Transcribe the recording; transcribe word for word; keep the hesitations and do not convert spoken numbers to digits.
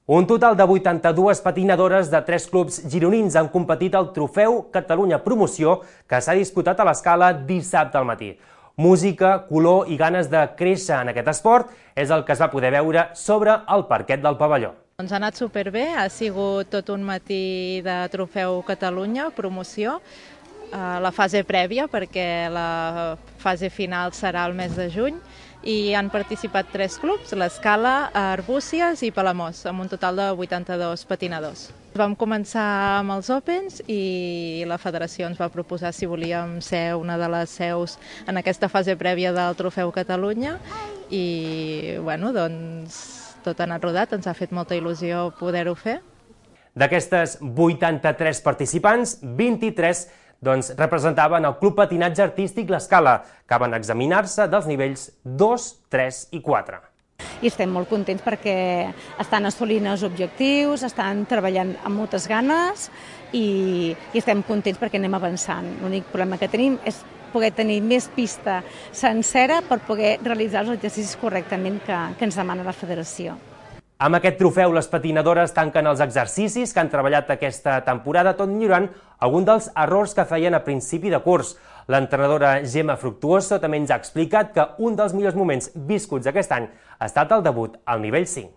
Un total de vuitanta-dues patinadores de tres clubs gironins han competit al Trofeu Catalunya Promoció que s'ha disputat a l'Escala dissabte al matí. Música, color i ganes de créixer en aquest esport és el que es va poder veure sobre el parquet del pavelló. Ens ha anat superbé, ha sigut tot un matí de Trofeu Catalunya Promoció, la fase prèvia perquè la fase final serà el mes de juny i han participat tres clubs, l'Escala, Arbúcies i Palamós, amb un total de vuitanta-dos patinadors. Vam començar amb els Opens i la federació ens va proposar si volíem ser una de les seus en aquesta fase prèvia del Trofeu Catalunya i bueno, doncs tot ha anat rodat, ens ha fet molta il·lusió poder-ho fer. D'aquestes vuitanta-tres participants, vint-i-tres doncs, representaven el Club Patinatge Artístic L'Escala, que van examinar-se dels nivells dos, tres i quatre. I estem molt contents perquè estan assolint els objectius, estan treballant amb moltes ganes i, i estem contents perquè anem avançant. L'únic problema que tenim és poder tenir més pista sencera per poder realitzar els exercicis correctament que, que ens demana la federació. Amb aquest trofeu, les patinadores tanquen els exercicis que han treballat aquesta temporada, tot millorant algun dels errors que feien a principi de curs. L'entrenadora Gemma Fructuoso també ens ha explicat que un dels millors moments viscuts aquest any ha estat el debut al nivell cinc.